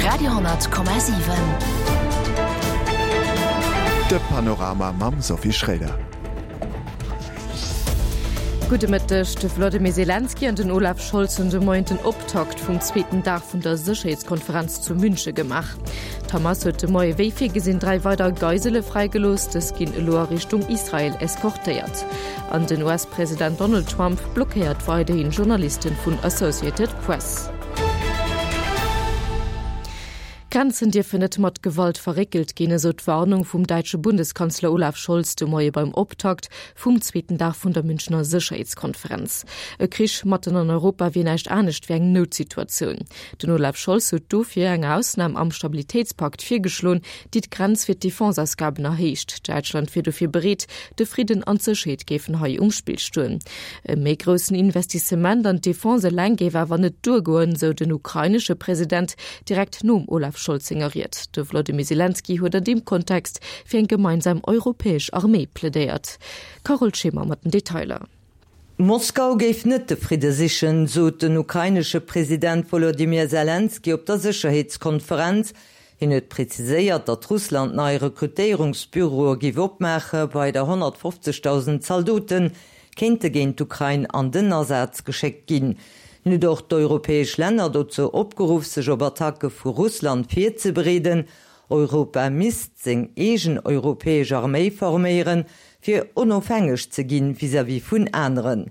Radio,7. De Panorama mam Sophie Schroeder. Gudde Mëtteg. De Wlodimir Selenskyj an den Olaf Scholz hunn de Moien den Optakt vum zweeten Dag vun der Sécherheetskonferenz zu Münche gemaach. D'Hamas huet de Moie wéi virgesinn 3 weider Geisele fräigelooss. Dës ginn elo a Richtung Israel eskortéiert. An den US-President Donald Trump blockéiert weiderhin Journalisten vun Associated Press. Grenzen dierfen net mat Gewalt verréckelt ginn, esou d'Warnung vum däitsche Bundeskanzler Olaf Scholz de Moie beim Optakt vum zweeten Dag vun der Münchener Sécherheetskonferenz. E Krich matten an Europa wier näischt anescht wéi eng Noutsituatioun. Den Olaf Scholz huet dofir eng Ausnam am Stabilitéitspakt virgeschloen, déi d'Grenz fir d'Defenseausgaben erhéicht. Däitschland wier dofir bereet, de Fridden an d'Sécherheet géifen hei um Spill stoen. E méi groussen Investissement an d'Defense eleng géif awer net duergoen, sou den ukrainesche President direkt nom Olaf Scholz senger Ried. De Wlodimir Selenskyj huet an deem Kontext fir eng gemeinsam europäesch Arméi plädéiert. Carole Schimmer mat den Detailer. Moskau géif net de Fridde sichen, sot den ukrainesche President Wolodymyr Selenskyj op der Sécherheetskonferenz. Hien huet preziséiert, datt Russland nei Rekrutéierungsbüroe géif opmaache weider 150.000 Zaldote kéinte géint d'Ukrain an den Asaz geschéckt ginn. Hien huet och d'europäesch Länner dozou opgeruff, sech op Attacke vu Russland virzebereeden. Europa misst seng eegen europäesch Arméi forméieren, fir onofhängeg ze ginn vis-à-vis vun aneren.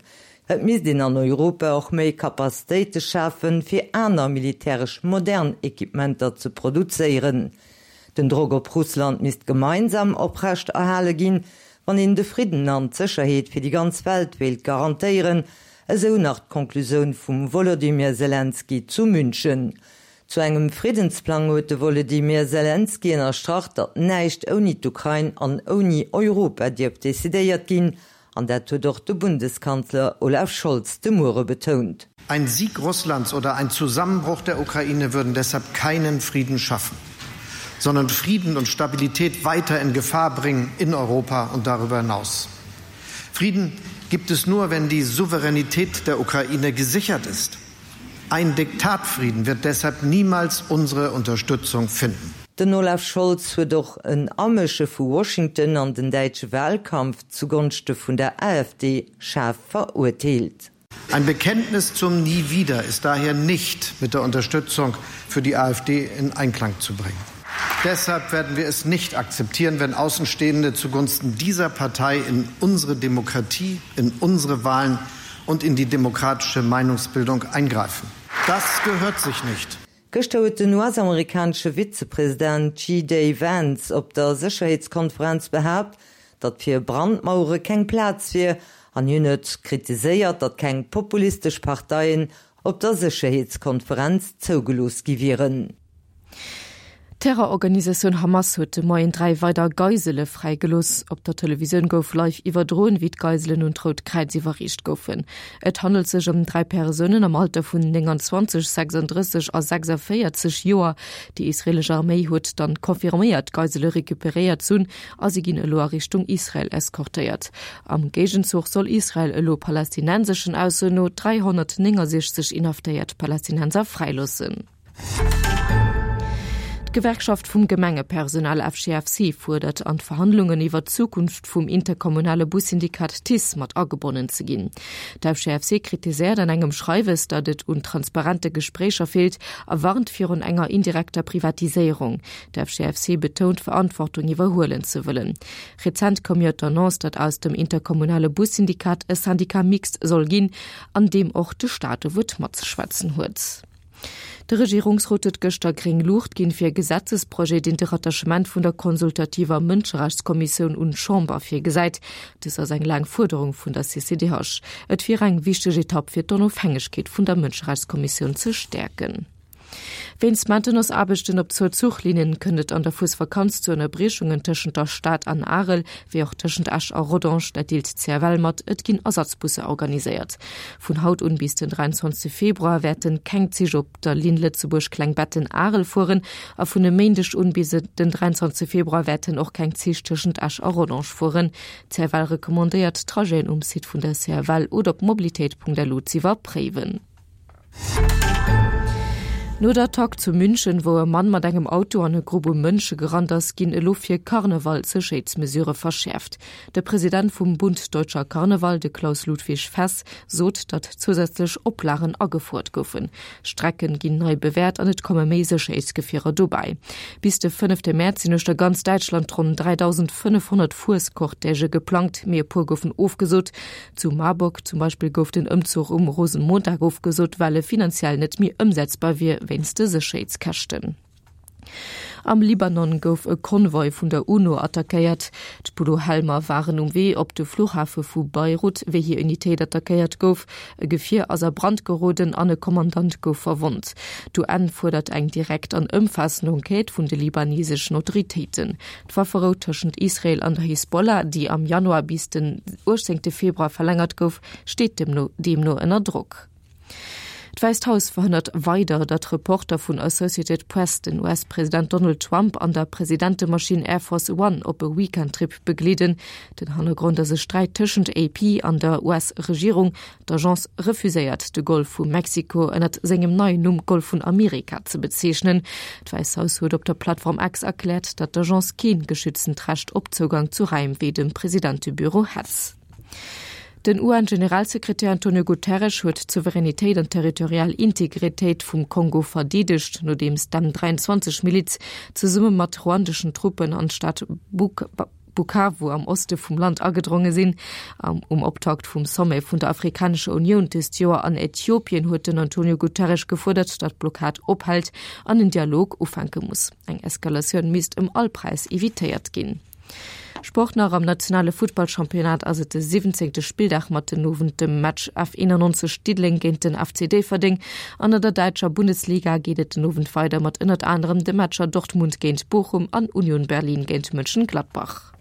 Et misst een an Europa och méi Capacitéite schafen, fir aner militäresch modern Equipementer ze produzéieren. Den Drock op Russland misst gemeinsam oprecht erhale ginn, wann een de Fridden an d'Sécherheet fir déi ganz Welt wéilt garantéieren, esou nach d'Conclusioun vum Wolodymyr Selenskyj zu München. Zu engem Friddensplang huet de Wolodymyr Selenskyj ënnerstrach, datt näischt ouni d'Ukrain an ouni Europa dierft decidéiert ginn. An dat huet och de Bundeskanzler Olaf Scholz de Muere betount. Ein Sieg Russlands oder ein Zusammenbruch der Ukraine würden deshalb keinen Frieden schaffen, sondern Frieden und Stabilität weiter in Gefahr bringen in Europa und darüber hinaus. Frieden gibt es nur, wenn die Souveränität der Ukraine gesichert ist. Ein Diktatfrieden wird deshalb niemals unsere Unterstützung finden. Den Olaf Scholz huet och en Amësche vu Washington an den däitsche Wahlkampf zugonschte vun der AfD schaarf verurteelt. Ein Bekenntnis zum Nie wieder ist daher nicht mit der Unterstützung für die AfD in Einklang zu bringen. Deshalb werden wir es nicht akzeptieren, wenn Außenstehende zugunsten dieser Partei in unsere Demokratie, in unsere Wahlen und in die demokratische Meinungsbildung eingreifen. Das gehört sich nicht. Gëschter huet den US-amerikanesche Vizepresident JD Vance op der Sécherheetskonferenz behaapt, datt fir Brandmauere keng Plaz wier an hien huet kritiséiert, datt keng populistesch Parteien op der Sécherheetskonferenz zougelooss gi wieren. D'Terrororganisatioun Hamas huet de Moien 3 weider Geisele fräigelooss. Op der Televisioun gouf live iwwerdroen, wéi d'Geiselen un d'Rout Kräiz iwwerreecht goufen. Et handelt sech ëm 3 Persounen am Alter vun 29, 36 a 46 Joer. Déi israeelesch Arméi huet dann confirméiert, d'Geisele recuperéiert z'hunn a si ginn elo a Richtung Israel eskortéiert. Am Géigenzuch soll Israel elo palästinenseschen Aussoen no 369 inhaftéiert Palästinenser fräiloossen. D'Gewerkschaft vum Gemengepersonal FGFC fuerdert, an d'Verhandlungen iwwer d'Zukunft vum interkommunale Bussyndikat TICE mat agebonnen ze ginn. D'FGFC kritiséiert an engem Schreiwes, datt et un transparente Gespréicher feelt a warnt virun enger indirekter Privatiséierung. D'FGFC betount, Verantwortung iwwerhuelen ze wëllen. Rezent koum jo d'Annonce, datt aus dem interkommunale Bussyndikat e Syndicat mixte soll ginn, an deem och de Staat e Wuert matzeschwätzen huet. De Regierungsrot huet gëschter gréng Luucht ginn fir e Gesetzesprojet, deen de Rattachement vun der consultativer Mënscherechtskommissioun un d'Chamber virgesäit. Dës ass eng laang Fuerderung vun der CCDH. Et wier eng wichteg Etapp fir d'Onofhängegkeet vun der Mënscherechtskommissioun ze stäerken. Wéinst Maintenance-Aarbechten op zwou Zuchlinnen kënnt et an der Fuesvakanz zu Ënnerbriechungen tëschent der Stad an Arel, wéi och tëschent Esch a Rodange. Dat deelt d'CFL mat. Et ginn Ersatzbusser organiséiert. Vun haut un bis den 23 Februar wäerten keng Zich op der Linn Lëtzebuerg-Klengbetten-Arel fueren a vun e Méindeg un bis den 23 Februar wäerten och keng Zich tëschent Esch a Rodange fueren. D'CFL recommandéiert, d'Trajeten um Site vun der CFL oder op mobilitéit.lu z'iwwerpréiwen. No der Attack zu München, wou e Mann mat engem Auto an e Grupp u Mënsche gerannt ass, ginn elo fir Karneval d'Sécherheetsmesurë verschäerft. De President vum Bund Deutscher Karneval, de Klaus Ludwig Fess, sot, datt zousätzlech Oplagen agefouert goufen. Strecken ginn nei bewäert an et komme méi Sécherheetsgefierer dobäi. Bis de fënnefte Mäerz sinn uechter ganz Däitschland ronn 3.500 Fuescortègë geplangt, mee e puer goufen ofgesot. Zu Marburg zum Beispill gouf den Ëmzuch um Rosenmontag ofgesot, well e finanziell net méi ëmsetzbar wier wéinst de Sécherheetskäschten. Am Libanon gouf e Konvoi vun der UNO attackéiert. D'Bulo-Helmer waren um Wee op de Fluchhafe vu Beirut, wéi hir Unitéit attackéiert gouf. E Gefier ass a Brand geroden an e Kommandant gouf verwonnt. D'UN fuerdert eng direkt an ëmfaassend Enquête vun de libaneseschen Autoritéiten. D'Wafferou tëschent Israel an der Hisbollah, déi am Januar bis den 18 Februar verlängert gouf, steet deemno ënner Drock. D'Wäisst Haus verhënnert weider, datt Reporter vun Associated Press den US-President Donald Trump an der Presidentemaschinn Air Force One op e Weekendtrip begleeden. Den Hannergrond ass e Sträit tëschent AP an der US-Regierung. D'Agence refuséiert, de Golf vu Mexiko ënnert sengem neien Numm Golf vun Amerika ze bezeechnen. D'Wäisst Haus huet op der Plattform X erkläert, datt d'Agence kee geschütztent Recht op Zougang zu Raim wéi dem Presidentebüro hätt. Den UN-Generalsekretär Antonio Guterres huet d'Souveränitéit an d'territorial Integritéit vum Kongo verdeedegt, nodeems d'M23-Miliz zesumme mat ruandeschen Truppen an d'Stad Bukavu am Oste vum Land agedronge sinn. Um Optakt vum Sommet vun der Afrikanescher Unioun dëst Joer an Äthiopien huet den Antonio Guterres gefuerdert, datt d'Blockad ophält an en Dialog ufänke muss. Eng Eskalatioun misst ëm all Präis evitéiert ginn. Sport nach, Am nationale Futtballchampionnat ass et de 17. Spilldag mat den Owend dem Match F91 Diddeleng géint den FC Déifferdeng. An an der däitscher Bundesliga geet et den Owend weider mat ënnert anerem de Matcher Dortmund géint Bochum an Union Berlin géint Mönchengladbach.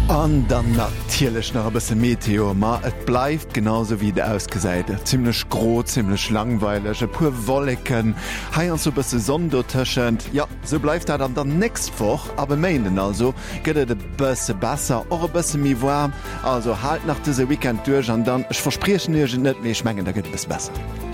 An dann natierlech nach e bësse Meteo. Ma et bleift genau sou wéi et ausgesäit, zimmlech gro, zimmlech langweileg, e puer Wolleken, heiansdo e bësse Sonn dotëschent. Jo, sou bleift dat an dann nächst Woch, ab e Méinden also, gëtt et e bësse besser, och e bësse méi waarm. Also haalt nach dëse Weekend duerch an dann, ech verspriechen iech et net, mee ech mengen da gëtt et e bësse besser.